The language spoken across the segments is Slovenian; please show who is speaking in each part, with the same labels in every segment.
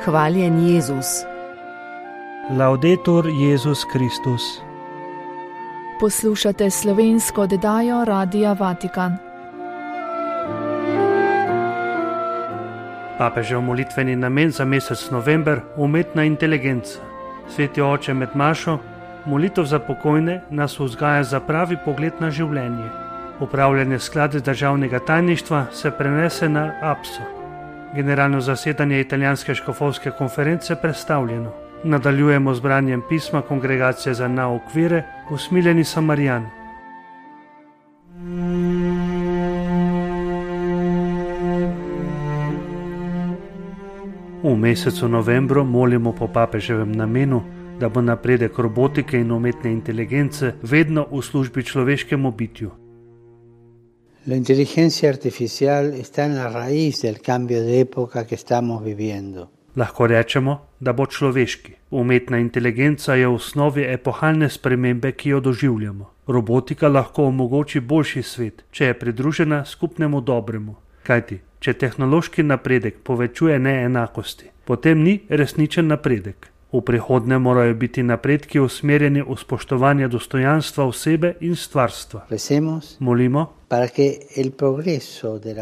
Speaker 1: Hvaljen Jezus.
Speaker 2: Laudetur Jezus Kristus.
Speaker 3: Poslušate slovensko oddajo Radia Vatikan.
Speaker 2: Papežev molitveni namen za mesec november, umetna inteligenca. Sveti oče med mašo, molitev za pokojne nas vzgaja za pravi pogled na življenje. Upravljanje sklade državnega tajništva se prenese na APSO. Generalno zasedanje italijanske škofovske konference predstavljeno. Nadaljujemo z branjem pisma Kongregacije za nauk vere, Usmiljeni Samarijan. V mesecu novembru molimo po papeževem namenu, da bo napredek robotike in umetne inteligence vedno v službi človeškemu bitju.
Speaker 4: La inteligencia artificial está en la raíz del cambio de época que estamos viviendo.
Speaker 2: Lahko rečemo, da bo človeški. Umetna inteligenca je v osnovi epohalne spremembe, ki jo doživljamo. Robotika lahko omogoči boljši svet, če je pridružena skupnemu dobremu. Kajti, če tehnološki napredek povečuje neenakosti, potem ni resničen napredek. V prihodnje morajo biti napredki usmerjeni v spoštovanje dostojanstva osebe in stvarstva. Molimo,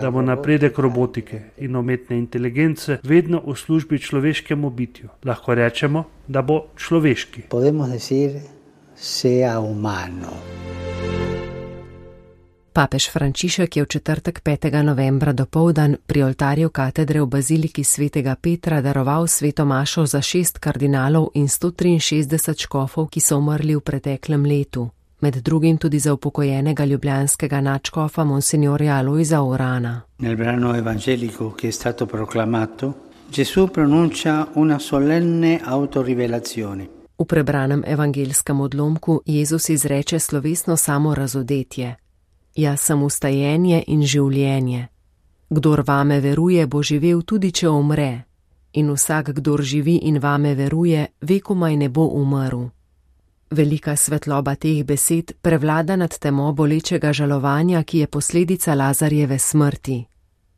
Speaker 2: da bo napredek robotike in umetne inteligence vedno v službi človeškemu bitju. Lahko rečemo, da bo človeški.
Speaker 4: Podemos decir, sea humano.
Speaker 1: Papež Frančišek je v četrtek 5. novembra dopoldan pri oltarju katedre v baziliki svetega Petra daroval sveto mašo za 6 kardinalov in 163 škofov, ki so umrli v preteklem letu, med drugim tudi za upokojenega ljubljanskega nadškofa monsignorja Alojza Urana.
Speaker 4: Nel brano evangelico che è stato proclamato, Gesù pronuncia una solenne autorivelazione.
Speaker 1: V prebranem evangelskem odlomku Jezus izreče slovesno samorazodetje. Jaz sem vstajenje in življenje. Kdor vame veruje, bo živel tudi, če umre. In vsak, kdor živi in vame veruje, vekomaj ne bo umrl. Velika svetloba teh besed prevlada nad temo bolečega žalovanja, ki je posledica Lazarjeve smrti.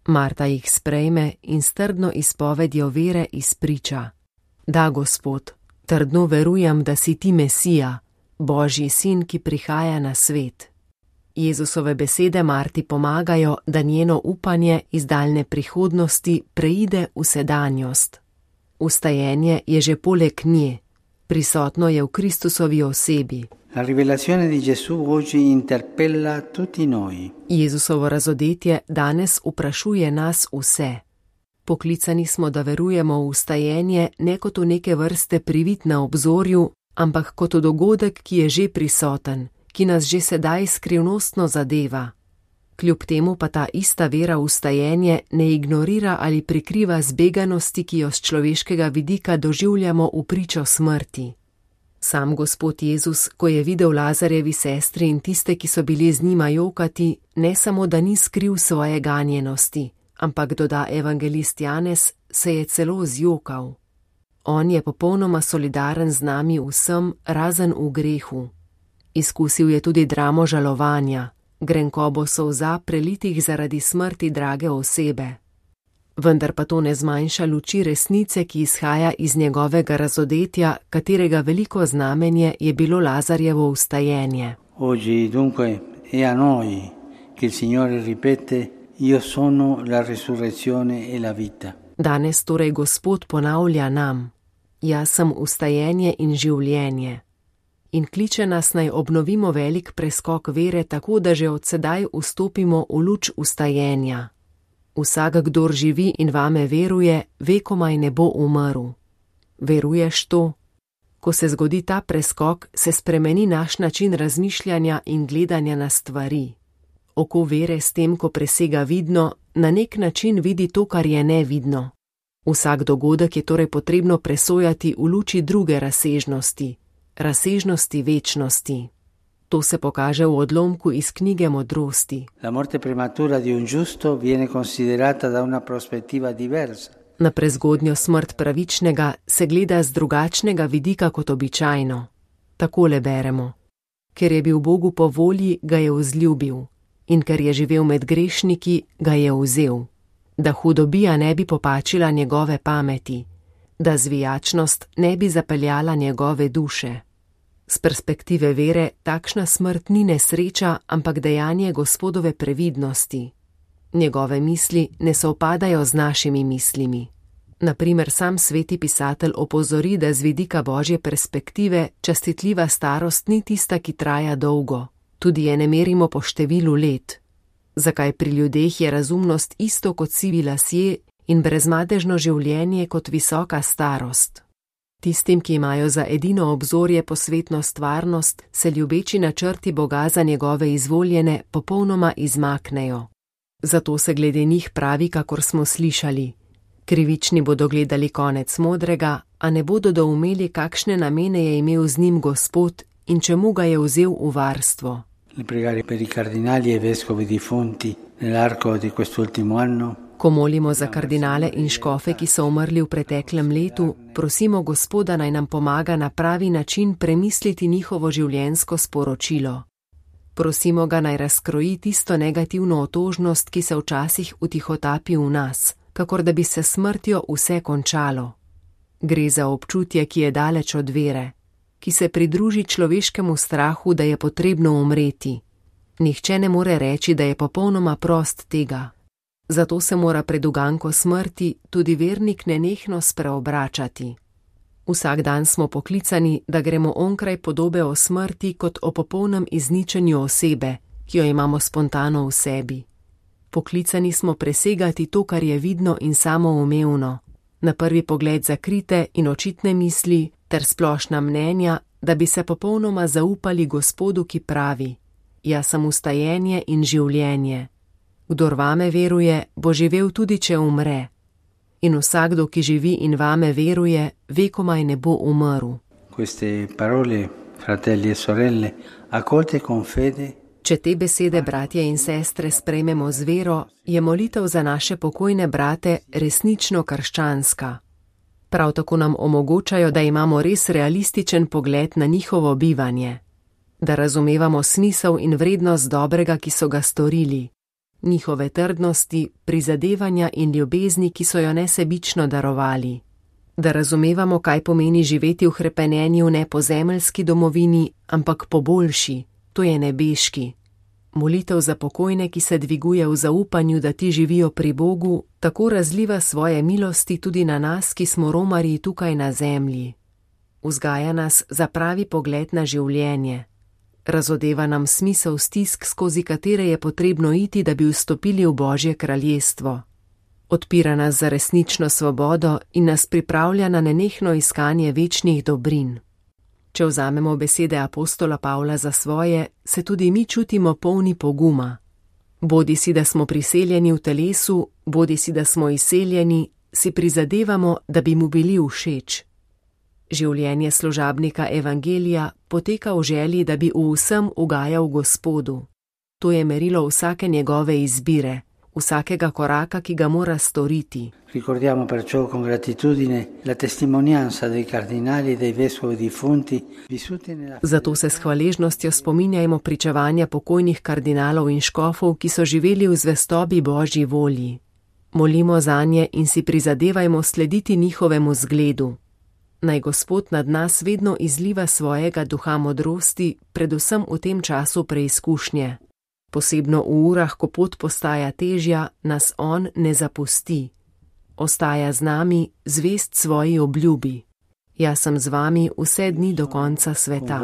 Speaker 1: Marta jih sprejme in s trdno izpovedjo vere izpriča. Da, Gospod, trdno verujem, da si ti Mesija, Božji sin, ki prihaja na svet. Jezusove besede Marti pomagajo, da njeno upanje iz daljne prihodnosti preide v sedanjost. Vstajenje je že poleg nje, prisotno je v Kristusovi osebi.
Speaker 4: La rivelazione di Gesù oggi interpella tutti noi.
Speaker 1: Jezusovo razodetje danes vprašuje nas vse. Poklicani smo, da verujemo v vstajenje ne kot v neke vrste privid na obzorju, ampak kot v dogodek, ki je že prisoten, ki nas že sedaj skrivnostno zadeva. Kljub temu pa ta ista vera v vstajenje ne ignorira ali prikriva zbeganosti, ki jo z človeškega vidika doživljamo v pričo smrti. Sam Gospod Jezus, ko je videl Lazarjevi sestri in tiste, ki so bili z njima jokati, ne samo, da ni skril svoje ganjenosti, ampak, doda evangelist Janez, se je celo zjokal. On je popolnoma solidaren z nami vsem, razen v grehu. Izkusil je tudi dramo žalovanja, grenkobo solza prelitih zaradi smrti drage osebe. Vendar pa to ne zmanjša luči resnice, ki izhaja iz njegovega razodetja, katerega veliko znamenje je bilo Lazarjevo vstajenje.
Speaker 4: Oggi dunque è a noi che il Signore ripete: Io sono la resurrezione e la vita.
Speaker 1: Danes torej Gospod ponavlja nam: Jaz sem vstajenje in življenje. In kliče nas naj obnovimo velik preskok vere, tako da že od sedaj vstopimo v luč vstajenja. Vsak, kdor živi in vame veruje, vekomaj ne bo umrl. Veruješ to? Ko se zgodi ta preskok, se spremeni naš način razmišljanja in gledanja na stvari. Oko vere s tem, ko presega vidno, na nek način vidi to, kar je nevidno. Vsak dogodek je torej potrebno presojati v luči druge razsežnosti, razsežnosti večnosti. To se pokaže v odlomku iz knjige Modrosti.
Speaker 4: La morte prematura di un giusto viene considerata da una prospettiva diversa.
Speaker 1: Na prezgodnjo smrt pravičnega se gleda z drugačnega vidika kot običajno. Takole beremo: Ker je bil Bogu po volji, ga je vzljubil, in ker je živel med grešniki, ga je vzel, da hudobija ne bi popačila njegove pameti. da zvijačnost ne bi zapeljala njegove duše. Z perspektive vere takšna smrt ni nesreča, ampak dejanje Gospodove previdnosti. Njegove misli ne sovpadajo z našimi mislimi. Naprimer, sam sveti pisatelj opozori, da z vidika Božje perspektive častitljiva starost ni tista, ki traja dolgo, tudi je ne merimo po številu let. Zakaj pri ljudeh je razumnost isto kot sivi lasje in brezmadežno življenje kot visoka starost? Tistim, ki imajo za edino obzorje posvetno stvarnost, se ljubeči načrti Boga za njegove izvoljene popolnoma izmaknejo. Zato se glede njih pravi, kakor smo slišali. Krivični bodo gledali konec modrega, a ne bodo doumeli, kakšne namene je imel z njim Gospod in čemu ga je vzel v varstvo. Ko molimo za kardinale in škofe, ki so umrli v preteklem letu, prosimo Gospoda, naj nam pomaga na pravi način premisliti njihovo življenjsko sporočilo. Prosimo ga, naj razkroji tisto negativno otožnost, ki se včasih utihotapi v nas, kakor da bi se smrtjo vse končalo. Gre za občutje, ki je daleč od vere, ki se pridruži človeškemu strahu, da je potrebno umreti. Nihče ne more reči, da je popolnoma prost tega. Zato se mora pred uganko smrti tudi vernik nenehno spreobračati. Vsak dan smo poklicani, da gremo onkraj podobe o smrti kot o popolnem izničenju osebe, ki jo imamo spontano v sebi. Poklicani smo presegati to, kar je vidno in samoumevno, na prvi pogled zakrite in očitne misli ter splošna mnenja, da bi se popolnoma zaupali Gospodu, ki pravi: Jaz sem vstajenje in življenje. Kdor vame veruje, bo živel tudi, če umre. In vsakdo, ki živi in vame veruje, vekomaj ne bo umrl.
Speaker 4: Queste parole, fratelli e sorelle, accolte con fede.
Speaker 1: Če te besede, bratje in sestre, sprejmemo z vero, je molitev za naše pokojne brate resnično krščanska. Prav tako nam omogočajo, da imamo res realističen pogled na njihovo bivanje, da razumevamo smisel in vrednost dobrega, ki so ga storili, njihove trdnosti, prizadevanja in ljubezni, ki so jo nesebično darovali, da razumevamo, kaj pomeni živeti v hrepenenju ne po zemeljski domovini, ampak po boljši, to je nebeški. Molitev za pokojne, ki se dviguje v zaupanju, da ti živijo pri Bogu, tako razliva svoje milosti tudi na nas, ki smo romarji tukaj na zemlji. Vzgaja nas za pravi pogled na življenje. Razodeva nam smisel stisk, skozi katere je potrebno iti, da bi vstopili v Božje kraljestvo. Odpira nas za resnično svobodo in nas pripravlja na nenehno iskanje večnih dobrin. Če vzamemo besede apostola Pavla za svoje, se tudi mi čutimo polni poguma. Bodisi, da smo priseljeni v telesu, bodisi, da smo izseljeni, si prizadevamo, da bi mu bili všeč. Življenje služabnika evangelija poteka v želji, da bi v vsem ugajal Gospodu. To je merilo vsake njegove izbire, vsakega koraka, ki ga mora storiti.
Speaker 4: Ricordiamo perciò con gratitudine la testimonianza dei cardinali e dei vescovi defunti vissuti nella.
Speaker 1: Zato se s hvaležnostjo spominjajmo pričevanja pokojnih kardinalov in škofov, ki so živeli v zvestobi Božji volji. Molimo zanje in si prizadevajmo slediti njihovemu zgledu. Naj Gospod nad nas vedno izliva svojega duha modrosti, predvsem v tem času preizkušnje. Posebno v urah, ko pot postaja težja, nas on ne zapusti. Ostaja z nami, zvest svoji obljubi. Jaz sem z vami vse dni do konca sveta.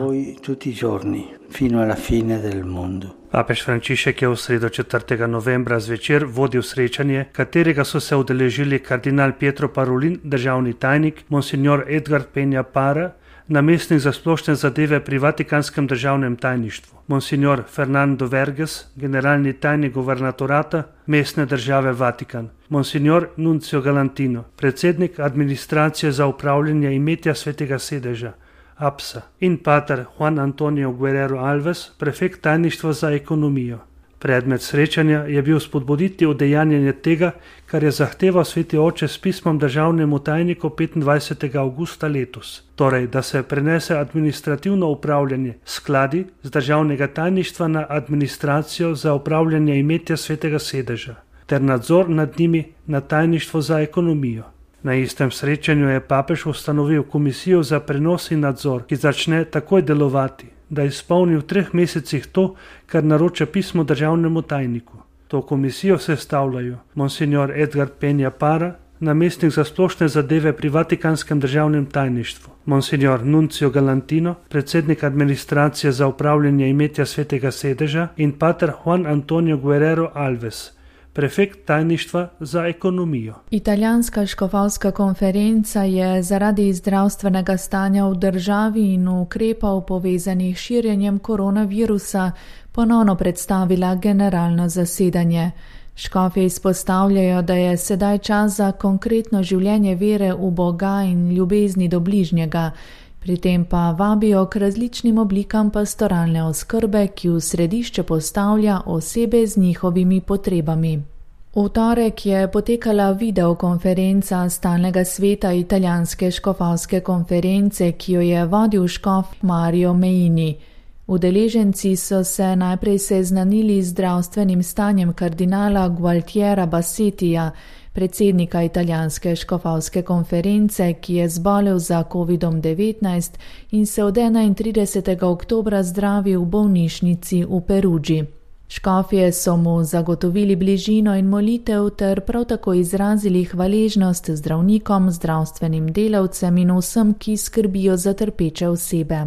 Speaker 2: Papež Frančišek je v sredo 4. novembra zvečer vodil srečanje, katerega so se udeležili kardinal Pietro Parolin, državni tajnik, monsignor Edgard Penja Para, namestnik za splošne zadeve pri Vatikanskem državnem tajništvu, monsignor Fernando Verges, generalni tajnik guvernatorata mestne države Vatikan, monsignor Nuncio Galantino, predsednik administracije za upravljanje imetja Svetega sedeža, APSA, in pater Juan Antonio Guerrero Alves, prefekt tajništva za ekonomijo. Predmet srečanja je bil spodbuditi udejanjanje tega, kar je zahteval sveti oče s pismom državnemu tajniku 25. augusta letos, torej da se prenese administrativno upravljanje skladi z državnega tajništva na administracijo za upravljanje imetja Svetega sedeža ter nadzor nad njimi na tajništvo za ekonomijo. Na istem srečanju je papež ustanovil komisijo za prenos in nadzor, ki začne takoj delovati, da izpolni v 3 mesecih to, kar naroča pismo državnemu tajniku. To komisijo sestavljajo monsignor Edgar Penja Para, namestnik za splošne zadeve pri Vatikanskem državnem tajništvu, monsignor Nuncio Galantino, predsednik administracije za upravljanje imetja Svetega sedeža in pater Juan Antonio Guerrero Alves, prefekt tajništva za ekonomijo.
Speaker 3: Italijanska škofovska konferenca je zaradi zdravstvenega stanja v državi in ukrepov povezanih s širjenjem koronavirusa ponovno predstavila generalno zasedanje. Škofje izpostavljajo, da je sedaj čas za konkretno življenje vere v Boga in ljubezni do bližnjega, pri tem pa vabijo k različnim oblikam pastoralne oskrbe, ki v središče postavlja osebe z njihovimi potrebami. V torek je potekala videokonferenca Stalnega sveta Italijanske škofovske konference, ki jo je vodil škof Mario Meini. Udeleženci so se najprej seznanili z zdravstvenim stanjem kardinala Gualtiera Bassettija, predsednika Italijanske škofovske konference, ki je zbolel za COVID-19 in se od 31. oktobra zdravi v bolnišnici v Perugii. Škofje so mu zagotovili bližino in molitev ter prav tako izrazili hvaležnost zdravnikom, zdravstvenim delavcem in vsem, ki skrbijo za trpeče osebe.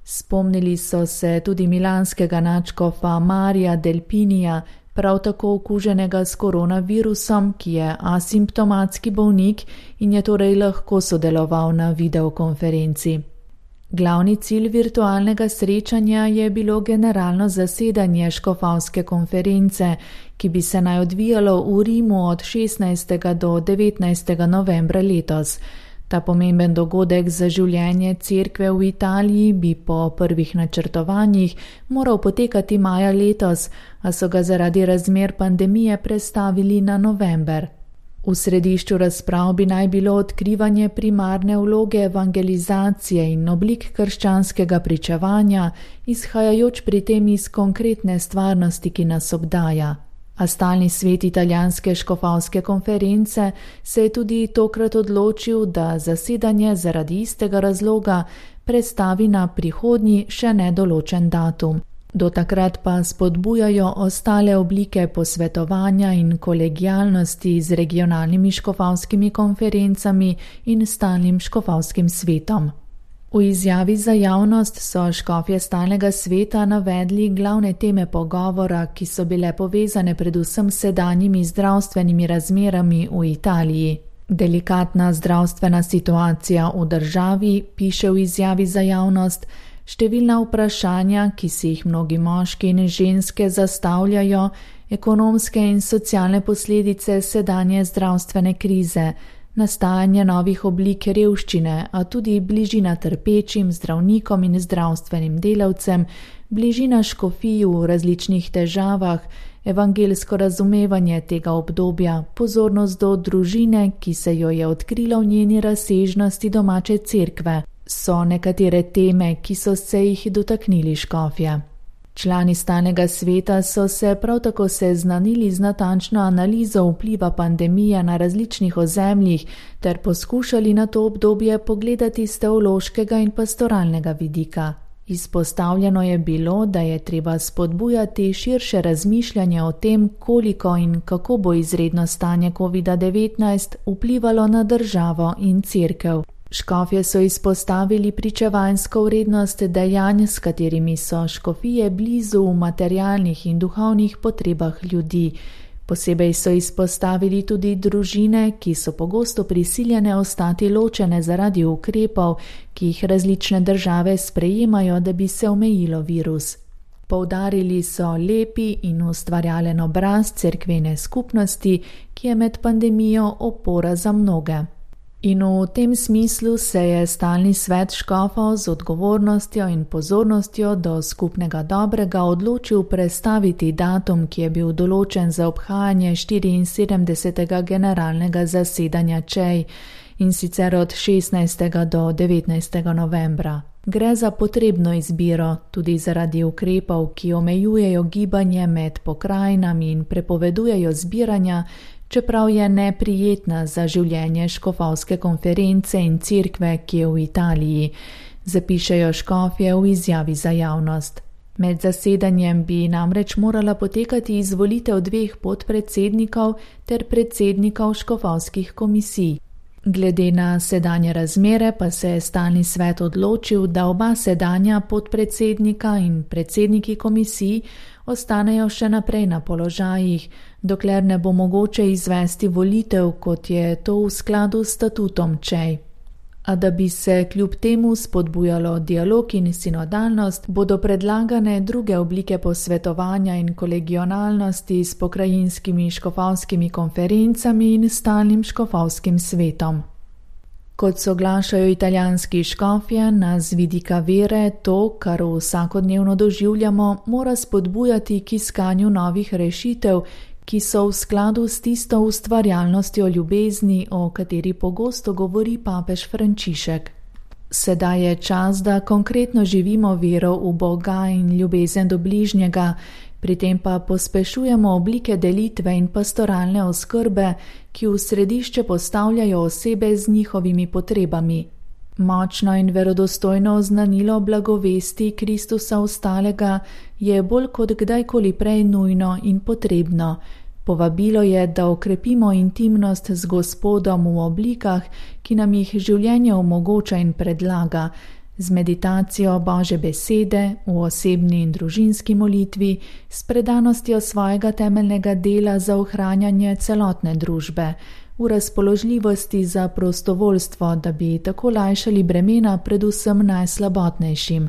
Speaker 3: Spomnili so se tudi milanskega nadškofa Marija Delpinija, prav tako okuženega s koronavirusom, ki je asimptomatski bolnik in je torej lahko sodeloval na videokonferenci. Glavni cilj virtualnega srečanja je bilo generalno zasedanje škofovske konference, ki bi se naj odvijalo v Rimu od 16. do 19. novembra letos. Ta pomemben dogodek za življenje cerkve v Italiji bi po prvih načrtovanjih moral potekati maja letos, a so ga zaradi razmer pandemije prestavili na november. V središču razprav bi naj bilo odkrivanje primarne vloge evangelizacije in oblik krščanskega pričevanja, izhajajoč pri tem iz konkretne stvarnosti, ki nas obdaja. A Stalni svet Italijanske škofovske konference se je tudi tokrat odločil, da zasedanje zaradi istega razloga prestavi na prihodnji še nedoločen datum. Do takrat pa spodbujajo ostale oblike posvetovanja in kolegialnosti z regionalnimi škofovskimi konferencami in Stalnim škofovskim svetom. V izjavi za javnost so škofje Stalnega sveta navedli glavne teme pogovora, ki so bile povezane predvsem s sedanjimi zdravstvenimi razmerami v Italiji. Delikatna zdravstvena situacija v državi, piše v izjavi za javnost, številna vprašanja, ki si jih mnogi moški in ženske zastavljajo, ekonomske in socialne posledice sedanje zdravstvene krize, nastajanje novih oblik revščine, a tudi bližina trpečim zdravnikom in zdravstvenim delavcem, bližina škofij v različnih težavah, evangelsko razumevanje tega obdobja, pozornost do družine, ki se jo je odkrila v njeni razsežnosti domače cerkve, so nekatere teme, ki so se jih dotaknili škofje. Člani Stalnega sveta so se prav tako seznanili z natančno analizo vpliva pandemije na različnih ozemljih ter poskušali na to obdobje pogledati z teološkega in pastoralnega vidika. Izpostavljeno je bilo, da je treba spodbujati širše razmišljanje o tem, koliko in kako bo izredno stanje COVID-19 vplivalo na državo in cerkev. Škofje so izpostavili pričevanjsko vrednost dejanj, s katerimi so škofije blizu v materialnih in duhovnih potrebah ljudi. Posebej so izpostavili tudi družine, ki so pogosto prisiljene ostati ločene zaradi ukrepov, ki jih različne države sprejemajo, da bi se omejilo virus. Poudarili so lepi in ustvarjalen obraz cerkvene skupnosti, ki je med pandemijo opora za mnoge. In v tem smislu se je Stalni svet škofov z odgovornostjo in pozornostjo do skupnega dobrega odločil prestaviti datum, ki je bil določen za obhajanje 74. generalnega zasedanja ČEJ, in sicer od 16. do 19. novembra. Gre za potrebno izbiro, tudi zaradi ukrepov, ki omejujejo gibanje med pokrajinami in prepovedujejo zbiranja, čeprav je neprijetna za življenje škofovske konference in cerkve, ki je v Italiji, zapišejo škofje v izjavi za javnost. Med zasedanjem bi namreč morala potekati izvolitev 2 podpredsednikov ter predsednikov škofovskih komisij. Glede na sedanje razmere pa se je stalni svet odločil, da oba sedanja podpredsednika in predsedniki komisij ostanejo še naprej na položajih, dokler ne bo mogoče izvesti volitev, kot je to v skladu s statutom ČEJ. A da bi se kljub temu spodbujalo dialog in sinodalnost, bodo predlagane druge oblike posvetovanja in kolegionalnosti s pokrajinskimi škofovskimi konferencami in stalnim škofovskim svetom. Kot soglašajo italijanski škofje, nas z vidika vere to, kar vsakodnevno doživljamo, mora spodbujati k iskanju novih rešitev, ki so v skladu s tisto ustvarjalnostjo ljubezni, o kateri pogosto govori papež Frančišek. Sedaj je čas, da konkretno živimo vero v Boga in ljubezen do bližnjega, pri tem pa pospešujemo oblike delitve in pastoralne oskrbe, ki v središče postavljajo osebe z njihovimi potrebami. Močno in verodostojno oznanilo blagovesti Kristusa vstalega je bolj kot kdajkoli prej nujno in potrebno. Povabilo je, da okrepimo intimnost z Gospodom v oblikah, ki nam jih življenje omogoča in predlaga, z meditacijo Božje besede, v osebni in družinski molitvi, s predanostjo svojega temeljnega dela za ohranjanje celotne družbe, v razpoložljivosti za prostovoljstvo, da bi tako lajšali bremena predvsem najslabotnejšim.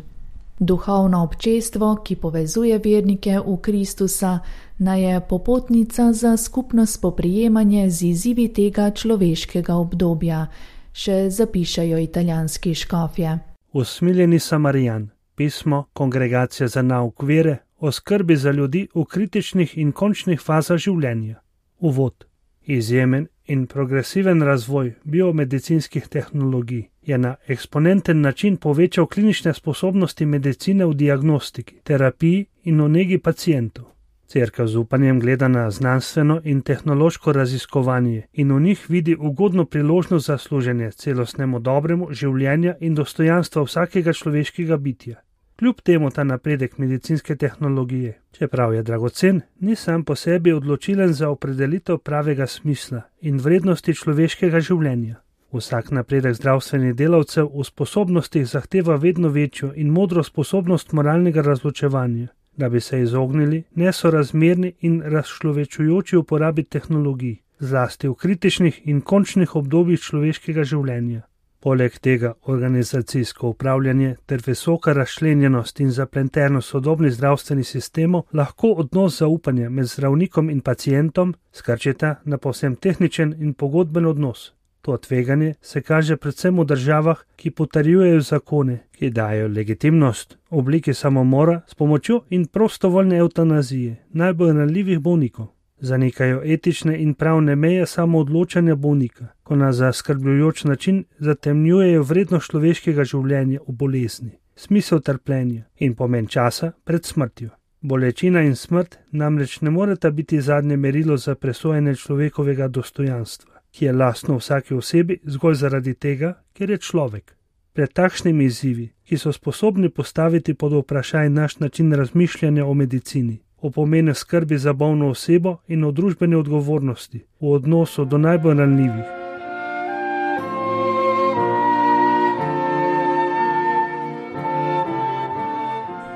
Speaker 3: Duhovno občestvo, ki povezuje vernike v Kristusa, naj je popotnica za skupno spoprijemanje z izzivi tega človeškega obdobja, še zapišajo italijanski škofje.
Speaker 2: Usmiljeni Samarijan, pismo Kongregacije za nauk vere o skrbi za ljudi v kritičnih in končnih fazah življenja. Uvod. Izjemen in progresiven razvoj biomedicinskih tehnologij je na eksponenten način povečal klinične sposobnosti medicine v diagnostiki, terapiji in v negi pacientov. Cerkev z upanjem gleda na znanstveno in tehnološko raziskovanje in v njih vidi ugodno priložnost za služenje celostnemu dobremu življenja in dostojanstva vsakega človeškega bitja. Kljub temu ta napredek medicinske tehnologije, čeprav je dragocen, ni sam po sebi odločilen za opredelitev pravega smisla in vrednosti človeškega življenja. Vsak napredek zdravstvenih delavcev v sposobnostih zahteva vedno večjo in modro sposobnost moralnega razločevanja, da bi se izognili nesorazmerni in razčlovečujoči uporabi tehnologij, zlasti v kritičnih in končnih obdobjih človeškega življenja. Poleg tega organizacijsko upravljanje ter visoka razčlenjenost in zapletenost sodobnih zdravstvenih sistemov lahko odnos zaupanja med zdravnikom in pacientom skrčita na povsem tehničen in pogodben odnos. To tveganje se kaže predvsem v državah, ki potrjujejo zakone, ki dajo legitimnost obliki samomora s pomočjo in prostovoljne evtanazije najbolj ranljivih bolnikov. Zanikajo etične in pravne meje samoodločanja bolnika, ko na zaskrbljujoč način zatemnjujejo vrednost človeškega življenja v bolezni, smisel trpljenja in pomen časa pred smrtjo. Bolečina in smrt namreč ne moreta biti zadnje merilo za presojanje človekovega dostojanstva, ki je lastno vsaki osebi zgolj zaradi tega, ker je človek. Pred takšnimi izzivi, ki so sposobni postaviti pod vprašaj naš način razmišljanja o medicini, o pomenu skrbi za bolno osebo in o družbeni odgovornosti v odnosu do najbolj ranljivih.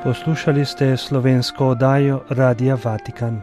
Speaker 2: Poslušali ste slovensko oddajo Radia Vatikan.